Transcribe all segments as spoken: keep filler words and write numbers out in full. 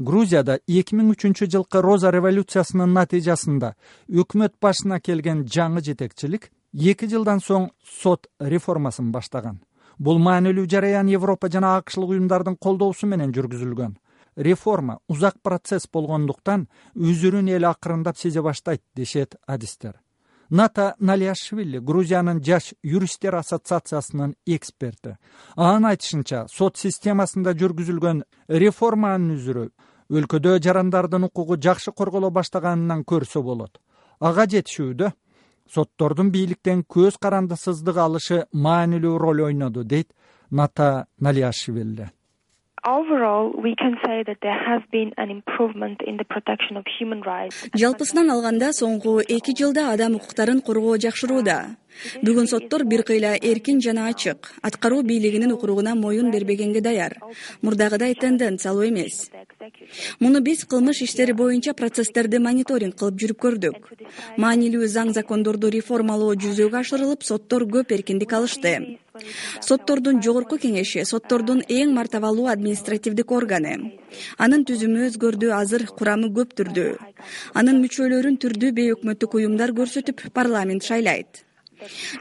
Грузияда эки миң үчүнчү жылкы Роза революциясынын натыйжасында өкмөт башына келген жаңы жетекчилик эки жылдан соң сот реформасын баштаган. Бул маанилүү жараян Европа жана АКШлык уюмдардын колдоосу менен жүргүзүлгөн. Реформа узак процесс болгондуктан өзүрүн эл акырындап сезе баштайт дешет адистер. Ната Налиашвили Грузиянын жаш юристтер ассоциациясынын эксперти. Анын айтышынча, сот системасында жүргүзүлгөн реформанын үзүрү өлкөдө жарандардын укугу жакшы корголо баштаганынан көрсө болот. Ага жетишүүдө соттордун бийликтен көз карандысыздык алышы маанилүү роль ойноду, дейт Ната Налиашвили. Overall, we can say that there has been an improvement in the protection of human rights. Жалпысынан алганда соңку эки жылда адам укуктарын коргоо жакшырууда. Бүгүн соттор бир кыйла эркин жана ачык, аткаруу бийлигинин укуругуна моюн бербегенге даяр. Мурдагыдай тенденциялуу эмес. Муну биз кылмыш иштери боюнча процесстерди мониторинг кылып жүрүп көрдүк. Маанилүү заң закондорду реформалоо жүзөгө ашырылып, соттор көп эркиндик алышты. Соттордун жогорку кеңеши соттордун эң мартабалуу административдик органы. Анын түзүмү өзгөрдү, азыр курамы көптүрдү. Анын мүчөлөрүн түрдүү бейөкмөттүк уюмдар көрсөтүп, парламент шайлайт.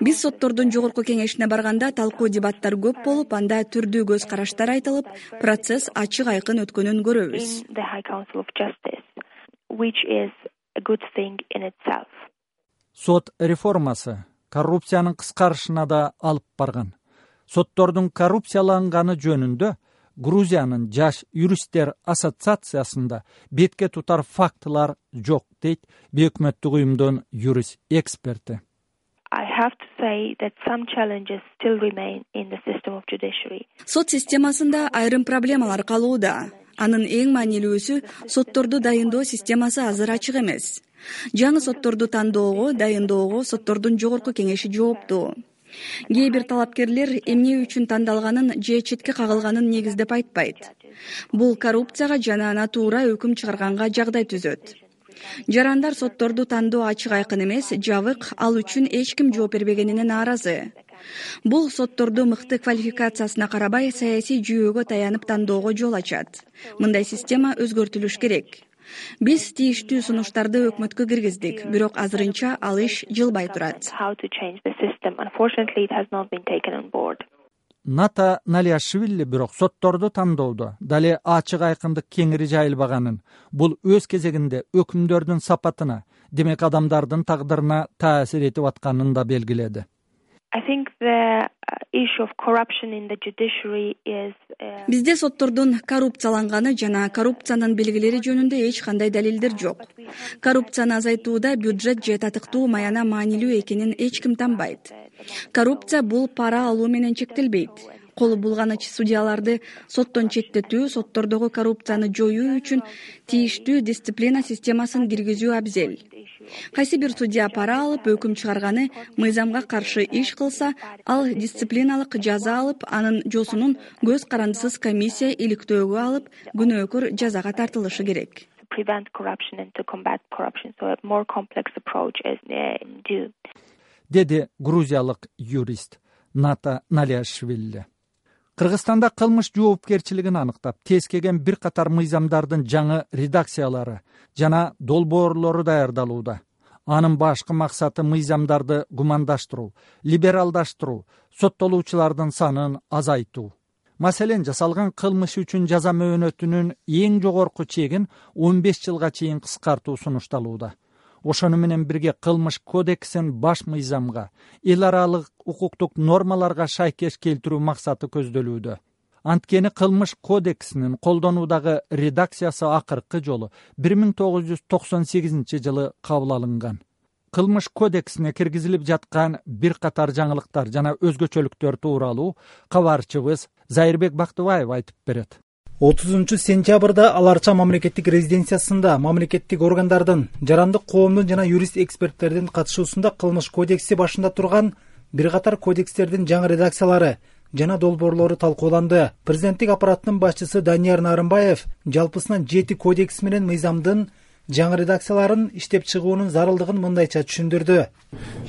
Биз соттордун жогорку кеңешине барганда талкуу дебаттар көп болуп, анда түрдүү көз караштар айтылып, процесс ачык айкын өткөнүн көрөбүз. Сот реформасы коррупциянын кыскарышына да алып барган. Соттордун коррупцияланганы жөнүндө Грузиянын жаш юристтер ассоциациясында бетке тутар фактылар жок, дейт бейөкмөттүк уюмдун юрист эксперти. I have to say that some challenges still remain in the system of judiciary. Сот системасында айрым проблемалар калууда. Анын эң маанилүүсү сотторду дайындоо системасы азыр ачык эмес. Жаңы сотторду тандоого, дайындоого соттордун жогорку кеңеши жооптуу. Кээ бир талапкерлер эмне үчүн тандалганын же четке кагылганын негиздеп айтпайт. Бул коррупцияга жана натуура өкүм чыгарганга жагдай түзөт. Жарандар сотторду тандоо ачык айкын эмес, жабык, ал үчүн эч ким жооп бербегенине нааразы. Бул сотторду мыкты квалификациясына карабай саясий жүйөгө таянып тандоого жол ачат. Мындай система өзгөртүлүш керек. Биз тийиштүү сунуштарды өкмөткө киргиздик, бирок азырынча ал иш жылбай турат. Ната Налиашвили бирок сотторду тандоодо дале ачык айкындык кеңири жайылбаганын, бул өз кезегинде өкүмдөрдүн сапатына, демек адамдардын тагдырына таасир этип атканын да белгиледи. I think the issue of corruption in the judiciary is Бизде соттордун коррупцияланганы жана коррупциянын белгилери жөнүндө эч кандай далилдер жок. Коррупцияны азайтууда бюджет же татыктуу маяна маанилүү экенин эч ким танбайт. Коррупция бул пара алуу менен чектелбейт. Колу булганыч судьяларды соттон четтетүү, соттордогу коррупцияны жоюу үчүн тийиштүү дисциплина системасын киргизүү абзел. Кайсы бир судья пара алып, өкүм чыгарганы, мыйзамга каршы иш кылса, ал дисциплиналык жаза алып, анын жосунун көз карандысыз комиссия иликтөөгө алып, күнөөкөр жазага тартылышы керек. Деди грузиялык юрист Ната Налиашвили. Кыргызстанда кылмыш жоопкерчилигин аныктап, тескеген бир катар мыйзамдардын жаңы редакциялары жана долбоорлору даярдалууда. Анын башкы максаты мыйзамдарды гумандаштыруу, либералдаштыруу, соттолуучулардын санын азайтуу. Маселен, жасалган кылмыш үчүн жаза мөөнөтүнүн эң жогорку чегин он беш жылга чейин кыскартуу сунушталууда. Ошону менен бирге кылмыш кодексин баш мыйзамга, эл аралык укуктук нормаларга шайкеш келтирүү максаты көздөлүүдө. Анткени кылмыш кодексинин колдонуудагы редакциясы акыркы жолу бир миң тогуз жүз токсон сегизинчи жылы кабыл алынган. Кылмыш кодексине киргизилип жаткан бир катар жаңылыктар жана өзгөчөлүктөр тууралуу кабарчыбыз Зайырбек Бактыбаев айтып берет. отузунчу сентябрда Ал Арча мамлекеттик резиденциясында мамлекеттик органдардын, жарандык коомдун жана юрист эксперттердин катышуусунда кылмыш кодекси башында турган бир катар кодекстердин жаңы редакциялары жана долбоорлору талкууланды. Президенттик аппараттын башчысы Данияр Нарымбаев жалпысынан жети кодекс менен мыйзамдын жаңы редакцияларын иштеп чыгуунун зарылдыгын мындайча түшүндүрдү.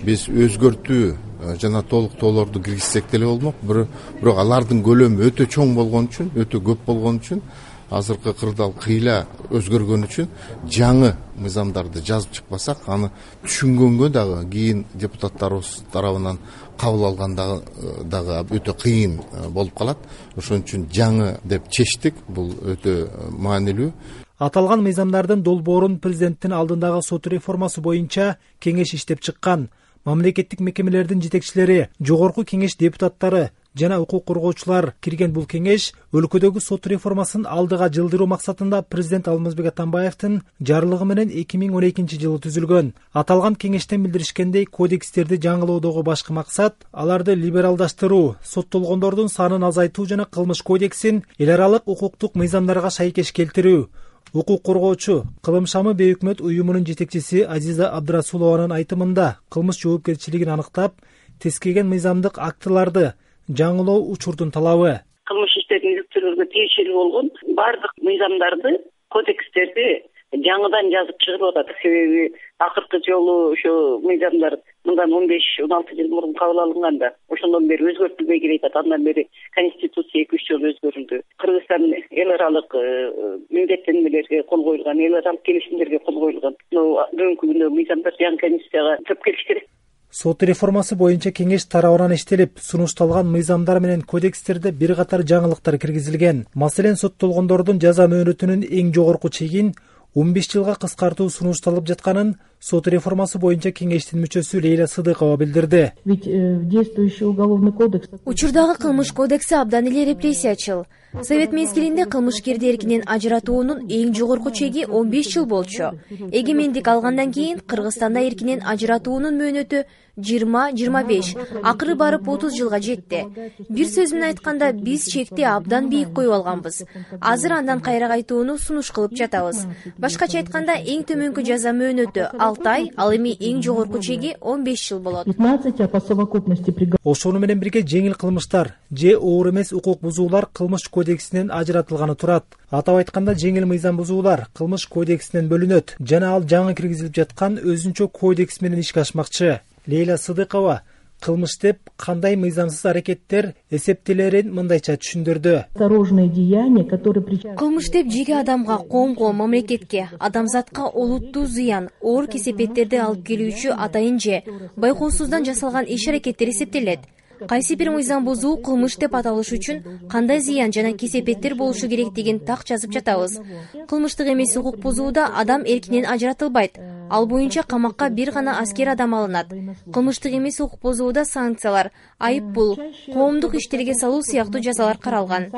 Биз өзгөртүү жана толуктоолорду киргизсек деле болмок, бирок алардын көлөмү өтө чоң болгон үчүн, өтө көп болгон үчүн азыркы кырдаал кыйла өзгөргөн үчүн жаңы мыйзамдарды жазып чыкпасак, аны түшүнгөнгө дагы кийин депутаттарыбыз тарабынан кабыл алганда дагы өтө кыйын болуп калат. Ошон үчүн жаңы деп чечтик. Бул өтө маанилүү. Аталган мыйзамдардын долбоорун президенттин алдындагы сот реформасы боюнча кеңеш иштеп чыккан. Мамлекеттик мекемелердин жетекчилери, жогорку кеңеш депутаттары жана укук коргоочулар кирген бул кеңеш өлкөдөгү сот реформасын алдыга жылдыруу максатында президент Алмазбек Атамбаевдин жарлыгы менен эки миң он экинчи жылы түзүлгөн. Аталган кеңештен билдиришкендей, кодекстерди жаңылоодогу башкы максат аларды либералдаштыруу, соттолгондордун санын азайтуу жана кылмыш кодексин эл аралык укуктук мыйзамдарга шайкеш келтирүү. Укук коргоочу, Кылым шамы бейөкмөт уюмунун жетекчиси Азиза Абдрасулованын айтымында кылмыш жоопкерчилигин аныктап, тескеген мыйзамдык актыларды жаңылоо учурдун талабы. Кылмыш иштерин иликтөөлөргө тиешелүү болгон бардык мыйзамдарды, кодекстерди жаңыдан жазып чыгып атат. Себеби акыркы жолу ошо мыйзамдар мындан он беш он алты жыл мурун кабыл алынганда ошондон бери өзгөртүлбөй келатат. Андан бери конституция эки үч жолу өзгөрүлдү. Кыргызстан эл аралык милдеттенмелерге кол коюлган, эл аралык келишимдерге кол коюлган. Бүгүнкү күндө мыйзамдар жаңы конституцияга төп келиш керек. Сот реформасы боюнча кеңеш тарабынан иштелип, сунушталган мыйзамдар менен кодекстерде бир катар жаңылыктар киргизилген. Маселен, соттолгондордун жаза мөөнөтүнүн эң жогорку чегин он беш жылга кыскартуу сунушталып жатканын сот реформасы боюнча кеңештин мүчөсү Лейла Сыдыкова билдирди. Учурдагы кылмыш кодекси абдан эле репрессиячыл. Совет мезгилинде кылмышкерди эркинен ажыратуунун эң жогорку чеги он беш жыл болчу. Эгемендик алгандан кийин Кыргызстанда эркинен ажыратуунун мөөнөтү жыйырма жыйырма беш, акыры барып отуз жылга жетти. Бир сөз менен айтканда, биз чекти абдан бийик коюп алганбыз. Азыр андан кайра кайтууну сунуш кылып жатабыз. Башкача айтканда, эң төмөнкү жаза мөөнөтү алты ай, ал эми эң жогорку чеги он беш жыл болот. Ошону менен бирге жеңил кылмыштар же оор эмес укук бузуулар кылмыш кодексинен ажыратылганы турат. Атап айтканда, жеңил мыйзам бузуулар кылмыш кодексинен бөлүнөт жана ал жаңы киргизилип жаткан өзүнчө кодекс менен ишке ашмакчы. Лейла Сыдыкова кылмыш деп кандай мыйзамсыз аракеттер эсептелерин мындайча түшүндүрдү. Кылмыш деп жеке адамга, коомго, мамлекетке, адамзатка олуттуу зыян, оор кесепеттерди алып келүүчү атайын же байкоосуздан жасалган иш-аракеттер эсептелет. Кайсы бир мыйзам бузуу кылмыш деп аталыш үчүн кандай зыян жана кесепеттер болушу керектигин так жазып жатабыз. Кылмыштык эмес укук бузууда адам эркинен ажыратылбайт. Ал боюнча камакка бир гана аскер адам алынат. Кылмыштык эмес укук бузууда санкциялар, айып пул, коомдук иштерге салуу сыяктуу жазалар каралган.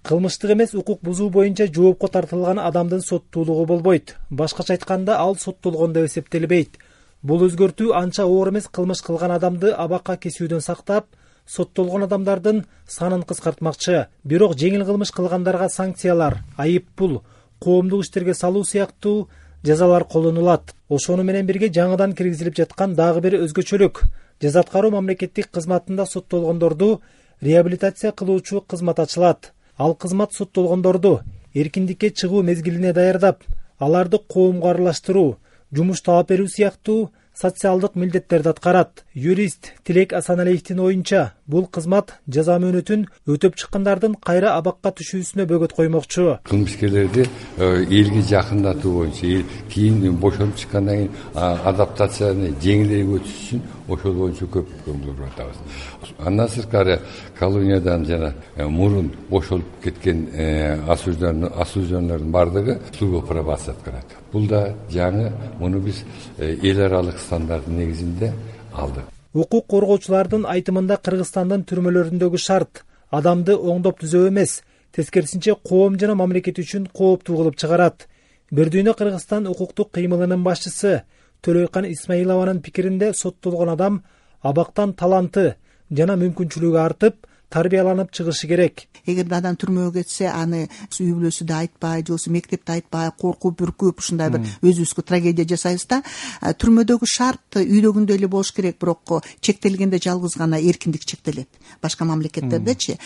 Кылмыштык эмес укук бузуу боюнча жоопко тартылган адамдын соттуулугу болбойт. Башкача айтканда, ал соттолгон деп эсептелбейт. Бул өзгөртүү анча оор эмес кылмыш кылган адамды абакка кесүүдөн сактап, соттолгон адамдардын санын кыскартмакчы. Бирок жеңил кылмыш кылгандарга санкциялар, айып пул, коомдук иштерге салуу сыяктуу жазалар колдонулат. Ошону менен бирге жаңыдан киргизилип жаткан дагы бир өзгөчөлүк. Жаза аткаруу мамлекеттик кызматында соттолгондорду реабилитация кылуучу кызмат ачылат. Ал кызмат соттолгондорду эркиндикке чыгуу мезгилине даярдап, аларды коомго аралаштыруу, жумуш таап берүү сыяктуу социалдык милдеттерди аткарат. Юрист Тилек Асаналиевдин оюнча, бул кызмат жаза мөөнөтүн өтөп чыккандардын кайра абакка түшүүсүнө бөгөт коймокчу. Кылмышкерлерди элге жакындатуу боюнча, кийин бошонуп чыккандан кийин адаптацияны жеңилирээк өтүш үчүн ошол боюнча көп көңүл атабыз. Андан сырткары колониядан жана мурун бошолуп кеткен осужденлордун бардыгы услуга пробация аткарат. Бул да жаңы, муну биз эл аралык стандарттын негизинде алдык. Укук коргоочулардын айтымында Кыргызстандын түрмөлөрүндөгү шарт адамды оңдоп түзөө эмес, тескерисинче коом жана мамлекет үчүн кооптуу кылып чыгарат. Бирдүйнө Кыргызстан укуктук кыймылынын башчысы Төлөйкан Исмаилованын пикиринде, соттолгон адам абактан таланты жана мүмкүнчүлүгү артып, тарбияланып чыгышы керек. Эгерде адам түрмөгө кетсе, аны үй бүлөсү да айтпай, же болбосо мектепте айтпай, коркуп, бүркүп, ушундай бир өзүбүзгө трагедия жасайбыз да. Түрмөдөгү шарт үйдөгүндөй эле болуш керек, бирок чектелгенде жалгыз гана эркиндик чектелет. Башка мамлекеттердечи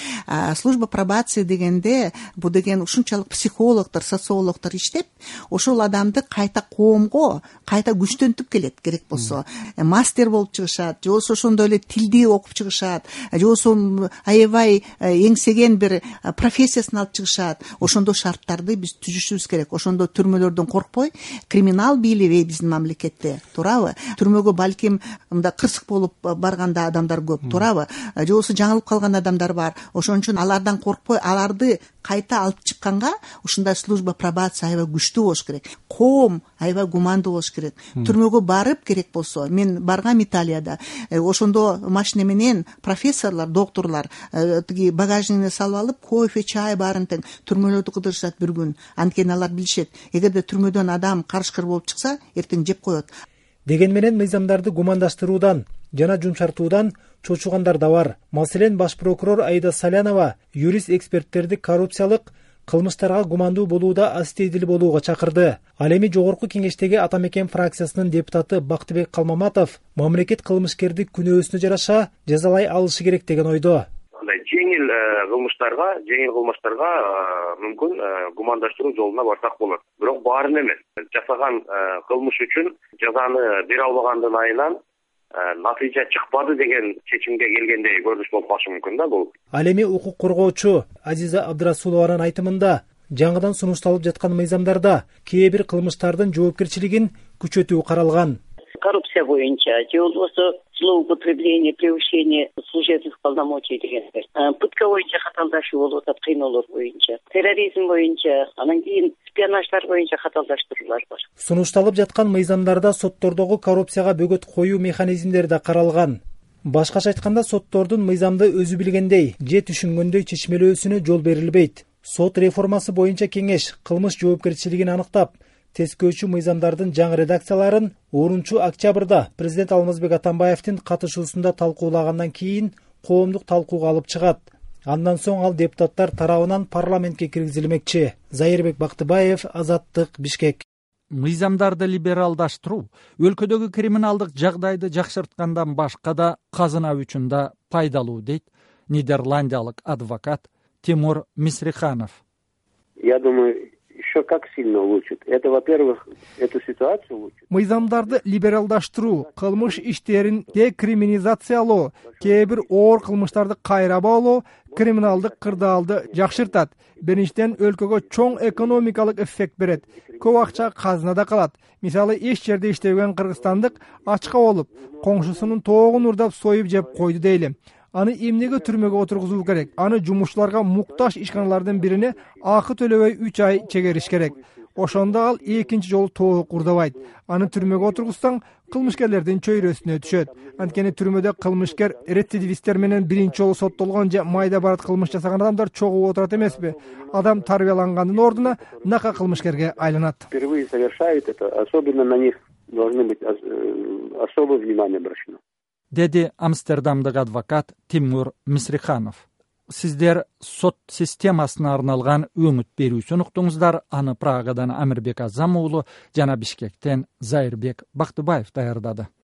служба пробации дегенде, бу деген ушунчалык психологдор, социологдор иштеп, ошол адамды кайта коомго кайта күчтөнтүп келет, керек болсо мастер болуп чыгышат, же болбосо ошондой эле тилди окуп чыгышат, же болбосо аябай эңсеген бир профессиясын алып чыгышат. Ошондой шарттарды биз түзүшүбүз керек. Ошондо түрмөлөрдөн коркпой, криминал бийлеби биздин мамлекетте, туурабы? Түрмөгө балким мындай кырсык болуп барганда адамдар көп, туурабы? Же болбосо жаңылып калган адамдар бар. Ошон үчүн алардан коркпой, аларды кайта алып чыкканга ушундай служба пробация аябай күчтүү болуш керек. Коом аябай гумандуу болуш керек. Түрмөгө барып керек болсо, мен баргам Италияда, ошондо машина менен профессорлор, докторлор тиги багажнине салып алып, кофе, чай баарын тең түрмөлөрдү кыдырышат бир күн. Анткени алар билишет, эгерде түрмөдөн адам карышкыр болуп чыкса, эртең жеп коет. Деген менен мыйзамдарды гумандаштыруудан жана жумшартуудан чочугандар да бар. Маселен, баш прокурор Аида Салянова юрист эксперттерди коррупциялык кылмыштарга гумандуу болууда астейдил болууга чакырды. Ал эми жогорку кеңештеги Ата Мекен фракциясынын депутаты Бактыбек Калмаматов мамлекет кылмышкерди күнөөсүнө жараша жазалай алышы керек деген ойдо. Жеңил кылмыштарга, жеңил кылмыштарга мүмкүн гумандаштыруу жолуна барсак болот. Бирок баарын эмес. Жасаган кылмыш үчүн жазаны бере албагандын айынан натыйжа чыкпады деген чечимге келгендей көрүнүш болуп калышы мүмкүн да бул. Ал эми укук коргоочу Азиза Абдрасулованын айтымында жаңыдан сунушталып жаткан мыйзамдарда кээ бир кылмыштардын жоопкерчилигин күчөтүү каралган. Коррупция боюнча же болбосо злоупотребление, превышение служебных полномочий дегендер. Пытка боюнча каталдашуу болуп атат, кыйноолор боюнча, терроризм боюнча, анан кийин шпионаждар боюнча каталдаштыруулар бар. Сунушталып жаткан мыйзамдарда соттордогу коррупцияга бөгөт коюу механизмдери да каралган. Башкача айтканда, соттордун мыйзамды өзү билгендей же түшүнгөндөй чечмелөөсүнө жол берилбейт. Сот реформасы боюнча кеңеш кылмыш жоопкерчилигин аныктап, тескөөчү мыйзамдардын жаңы редакцияларын онунчу октябрда президент Алмазбек Атамбаевдин катышуусунда талкуулагандан кийин коомдук талкууга алып чыгат. Андан соң ал депутаттар тарабынан парламентке киргизилмекчи. Зайырбек Бактыбаев, Азаттык, Бишкек. Мыйзамдарды либералдаштыруу өлкөдөгү криминалдык жагдайды жакшырткандан башка да казына үчүн да пайдалуу, дейт нидерландиялык адвокат Тимур Мисриханов. Я думаю, еще как сильно улучшит. Это, во-первых, эту ситуацию улучшит. Мыйзамдарды либералдаштыруу, кылмыш иштерин декриминализациялоо, кээ бир оор кылмыштарды кайрабаалоо криминалдык кырдаалды жакшыртат. Биринчиден, өлкөгө чоң экономикалык эффект берет. Көп акча казынада калат. Мисалы, эч жерде иштебеген кыргызстандык ачка болуп, коңшусунун тоогун урдап союп жеп койду дейли. Аны эмнеге түрмөгө отургузуу керек? Аны жумушчуларга муктаж ишканалардын бирине акы төлөбөй үч ай чегериш керек. Ошондо ал экинчи жолу тоого курдабайт. Аны түрмөгө отургузсаң, кылмышкерлердин чөйрөсүнө түшөт. Анткени түрмөдө кылмышкер рецидивисттер менен биринчи жолу соттолгон же майда барат кылмыш жасаган адамдар чогуу отурат эмеспи? Адам тарбиялангандын ордуна нака кылмышкерге айланат. Впервые совершают это, особенно на них должны быть особое внимание обращено. Деди Амстердамдык адвокат Тимур Мисриханов. Сиздер сот системасына арналган өңүт берүүсүн уктуңуздар. Аны Прагадан Амирбек Азам уулу жана Бишкектен Зайырбек Бактыбаев даярдады.